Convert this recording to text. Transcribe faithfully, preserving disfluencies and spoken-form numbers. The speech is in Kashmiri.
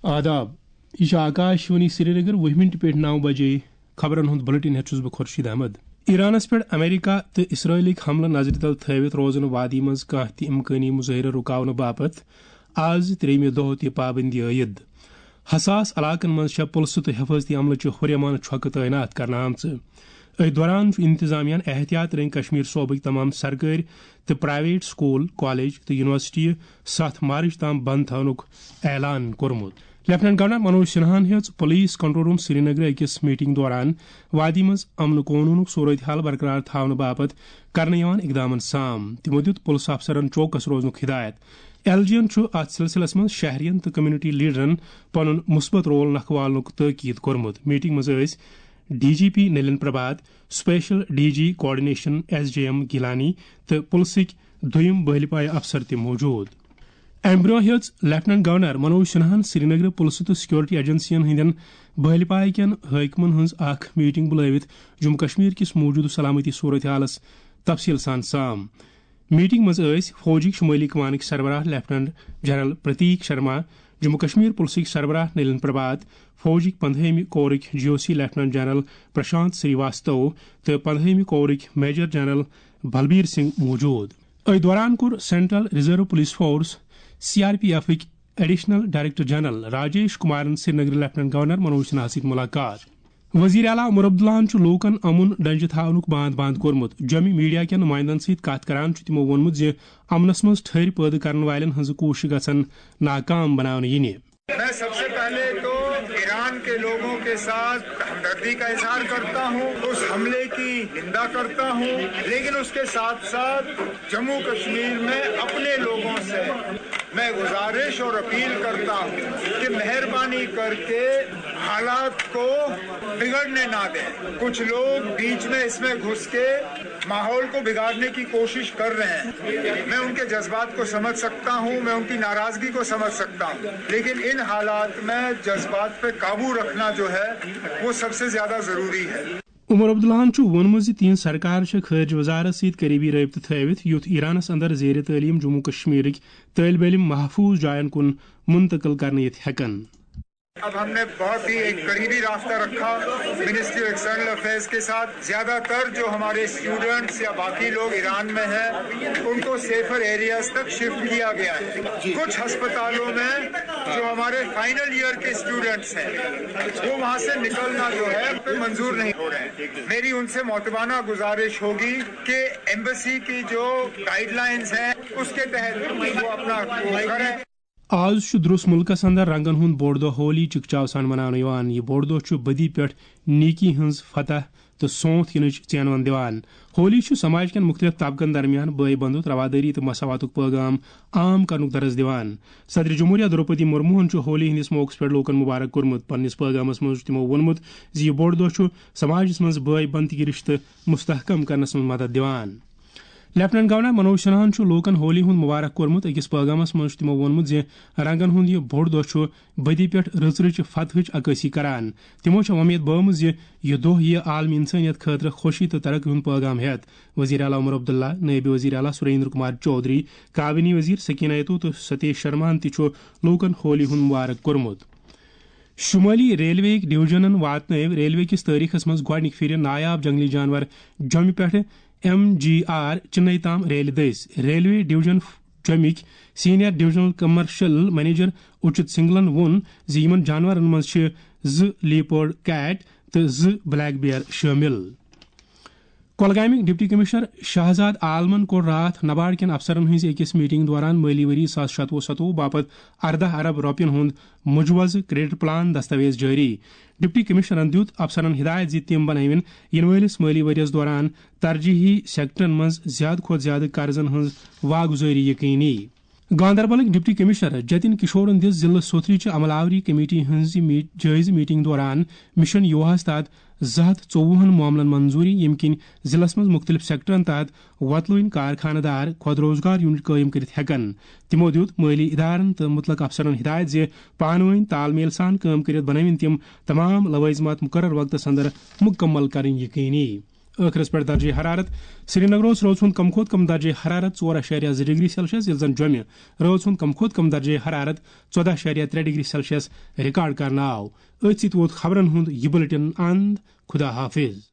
آداب، یہِ چھِ آکاش وانی سرینگر، وُہ منٹ پٮ۪ٹھ نَو بجے۔ خبرن ہُنٛد بلیٹن ہٮ۪تھ چھُس بہٕ خورشید احمد۔ ایرانس پٮ۪ٹھ امریکہ تہٕ اسرائیلٕکۍ حملہٕ نظرِ تل تھٲوِتھ روزن وادی منٛز کانٛہہ تہِ امکٲنی مظٲہرٕ رُکاونہٕ باپتھ آز ترٛیٚیمہِ دۄہ تہِ پابندی عٲید۔ حساس علاقن منٛز چھےٚ پُلسہٕ تہٕ حفاظتی عملہٕ چہِ ہُریمان چھۄکہٕ تعینات کرنہٕ آمژٕ۔ أتھۍ دوران چھُ انتظامیہ ہن احتیاط رنگۍ کشمیر صوبٕکۍ تمام سرکٲرۍ تہٕ پرائیویٹ سکول، کالج تہٕ یونیورسٹی ستھ مارچ تام بند تھاونُک اعلان کوٚرمُت۔ لیفٹیننٹ گورنر منوج سنہاہن ہیٚژ پولیس کنٹرول روم سرینگرٕ أکِس میٹنگ دوران وادی منٛز امن قونوٗنُک صورت حال برقرار تھاونہٕ باپتھ کرنہٕ یِوان اقدامن سام۔ تِمو دیُت پُلسہٕ افسرن چوکس روزنُک ہدایت۔ ایل جی ین چھُ اتھ سلسلس منٛز شہرین تہٕ کمیونٹی لیڈرن پنُن مثبت رول نکھوالنُک تٲکید کوٚرمُت۔ میٹنگ منٛز ٲسۍ D G P Nalin Prabhat, special D G coordination S J M Gillani تہٕ پُلسٕکۍ دوٚیِم بٲلۍ پایہِ افسر تہِ موجود۔ امہِ برونٛہہ ہیٚژ لیفٹیننٹ گورنر منوج سنہاہن سرینگرٕ پُلسہٕ تہٕ سیکورٹی ایجنسین ہٕنٛدٮ۪ن بٲلۍ پایہِ کٮ۪ن حٲکمن ہٕنٛز اکھ میٹنگ بُلٲوِتھ جموں کشمیر کِس موجودٕ سلامتی صورت حالس تفصیل سان سام۔ میٹنگ منٛز ٲسۍ فوجٕکۍ شمٲلی کمانٕکۍ سربراہ لیفٹیننٹ جنرل پرتیک شرما، جموں کشمیر پُلسٕکۍ سربراہ نلین پربھات، فوجٕکۍ پندہٲیمہِ کورٕکۍ G O C lieutenant general Prashant Srivastava تہٕ پندہٲیمہِ کورٕکۍ میجر جنرل بلبیر سنگھ موجود۔ أتھۍ دوران کوٚر central reserve police force, C R P ایفٕکۍ ایڈیشنل ڈائریکٹر جنرل راجیش کمارن سرینگر لیفٹیننٹ گورنر منوج سنہا سۭتۍ ملاقات۔ وزیر اعلیٰ عمر عبداللہن چھُ لوٗکن امُن ڈنجہِ تھاونُک باند باند کوٚرمُت۔ جوٚمہِ میڈیا کٮ۪ن نمائندن سۭتۍ کتھ کران چھُ تِمو ووٚنمُت زِ امنس منٛز ٹھٔہر پٲدٕ کرن والٮ۪ن ہٕنٛز کوٗشش گژھن ناکام بناونہٕ یِنہِ۔ میں سب سے پہلے تو ایران کے لوگوں کے ساتھ ہمدردی کا اظہار کرتا ہوں، اس حملے کی نندا کرتا ہوں، لیکن اس کے ساتھ ساتھ جموں کشمیر میں اپنے لوگوں سے میں گزارش اور اپیل کرتا ہوں کہ مہربانی کر کے حالات کو بگڑنے نہ دیں۔ کچھ لوگ بیچ میں اس میں گھس کے ماحول کو بگاڑنے کی کوشش کر رہے ہیں۔ میں ان کے جذبات کو سمجھ سکتا ہوں، میں ان کی ناراضگی کو سمجھ سکتا ہوں، لیکن ان حالات میں جذبات پہ قابو رکھنا جو ہے، وہ سب سے زیادہ ضروری ہے۔ عمر عبداللہن چھُ ووٚنمُت زِ تِہنٛز سرکار چھےٚ خارجہ وزارت سۭتۍ قریبی رٲبطہٕ تھٲوِتھ، یُتھ ایرانس اندر زیر تعلیم جموں کشمیرٕکۍ طٲلب علم محفوظ جاین کُن منتقل کرنہٕ یِتھ ہٮ۪کن۔ اب ہم نے بہت ہی ایک قریبی رابطہ رکھا منسٹری آف ایکسٹرنل افیئرز کے ساتھ۔ زیادہ تر جو ہمارے اسٹوڈنٹس یا باقی لوگ ایران میں ہیں، ان کو سیفر ایریاز تک شفٹ کیا گیا ہے۔ کچھ ہسپتالوں میں جو ہمارے فائنل ایئر کے اسٹوڈنٹس ہیں، وہ وہاں سے نکلنا جو ہے، پہ منظور نہیں ہو رہے ہیں۔ میری ان سے معتبانہ گزارش ہوگی کہ ایمبسی کی جو گائیڈ لائنز ہیں، اس کے تحت وہ اپنا کریں۔ آز چھُ درُس مُلکس اندر رنگن ہُنٛد بوٚڑ دۄہ ہولی چکچاو سان مناونہٕ یِوان۔ یہِ بوٚڑ دۄہ چھُ بدی پٮ۪ٹھ نیکی ہٕنٛز فتح تہٕ سونتھ یِنٕچ ژینوَن دِوان۔ ہولی چھُ سماج کٮ۪ن مُختٔلِف طبقن درمیان بٲے بنٛدُت، روادٲری تہٕ مساواتُک پٲغام عام کرنُک درس دِوان۔ صدر جمہوریہ درٛوپدی مرموہن چھُ ہولی ہٕنٛدِس موقعس پٮ۪ٹھ لوٗکن مبارک کوٚرمُت۔ پننِس پٲغامس منٛز چھُ تِمو ووٚنمُت زِ یہِ بوٚڑ دۄہ چھُ سماجس منٛز بٲے بنٛدگی رشتہٕ مستحکم کرنس منٛز مدد دِوان۔ لیفٹیننٹ گورنر منوج سنہاہن چھُ لوٗکن ہولی ہُنٛد مبارک کوٚرمُت۔ أکِس پٲغامس منٛز چھُ تِمو ووٚنمُت زِ رنگن ہُنٛد یہِ بوٚڑ دۄہ چھُ بدی پٮ۪ٹھ رٕژ رٕژ فتحٕچ عکٲسی کران۔ تِمو چھےٚ وۄمید بٲومٕژ زِ یہِ دۄہ یِیہِ عالمی انسٲنیت خٲطرٕ خوشی تہٕ ترقی ہُنٛد پٲغام ہٮ۪تھ۔ وزیر اعلیٰ عمر عبداللہ، نٲیِب وزیر اعلیٰ سریندر کمار چودھری، کابینی وزیر سکینہ ایتو تہٕ ستیش شرماہن تہِ چھُ لوٗکن ہولی ہُنٛد مبارک کوٚرمُت۔ شمٲلی ریلوے ڈویژنن واتنٲو ریلوے کِس تٲریخس منٛز گۄڈٕنِکہِ پھِرِ نایاب جنگلی جانور جوٚمہِ پٮ۪ٹھٕ ایم جی آر چنئی تام ریلہِ دٔسۍ۔ ریلوے ڈویژن جوٚمِکۍ senior divisional commercial manager Uchit سنگلن ووٚن زِ یِمَن جانورَن منٛز چھِ زٕ لیپرڈ کیٹ تہٕ زٕ بلیک بیئر شٲمِل۔ کۄلگامٕکۍ ڈپٹی کمشنر شہزاد عالمن کوٚر راتھ نباڑ کٮ۪ن افسرن ہٕنٛزِ أکِس میٹنگ دوران مٲلی ؤری زٕ ساس شتوُہ ستوُہ باپتھ ارداہ ارب رۄپین ہُنٛد مجوزٕ کریڈٹ پلان دستاویز جٲری۔ ڈپٹی کمشنرن دیُت افسرن ہدایت زِ تِم بنٲوِن یِنہٕ وٲلِس مٲلی ؤرۍ یَس دوران ترجیحی سیکٹرن منٛز زِیٛادٕ کھۄتہٕ زِیٛادٕ قرضن ہٕنٛز واگزٲری یقینی۔ گاندربلٕکۍ ڈپٹی کمشنر جتن کشورن دِژ ضلعہٕ سوتھرٕچہِ عملہ آوری کمیٹی ہٕنٛزِ می-، جٲیزٕ میٹنگ دوران مشن یوہاہس تحت زٕ ہتھ ژوٚوُہن معاملن منظوری، ییٚمہِ کِنۍ ضلعس منٛز مُختٔلِف سیکٹرن تحت وۄتلوٕنۍ کارخانہٕ دار خۄد روزگار یونٹ قٲیِم کٔرِتھ ہٮ۪کن۔ تِمو دِیُت مٲلی ادارن تہٕ مُتلق افسرن ہدایت زِ پانہٕ وٲنۍ تال میل سان کٲم کٔرِتھ بنٲوِن تِم تمام لوازمات مُقرر وقتس اندر مُکمل کرٕنۍ یقینی۔ ٲخرس پٮ۪ٹھ درجہ حرارت۔ سرینگر اوس رٲژ ہُنٛد کم کھۄتہٕ کم درجہ حرارت ژور اَشاریہ زٕ ڈگری سیلسیس، ییٚلہِ زن جوٚمہِ رٲژ ہُنٛد کم کھۄتہٕ کم درجہ حرارت ژۄدہ اَشاریہ ترٛےٚ ڈگری سیلسیس ریکارڈ کرنہٕ آو۔ أتھۍ سۭتۍ ووت خبرن ہُنٛد یہِ بُلٹن اند۔ خدا حافظ۔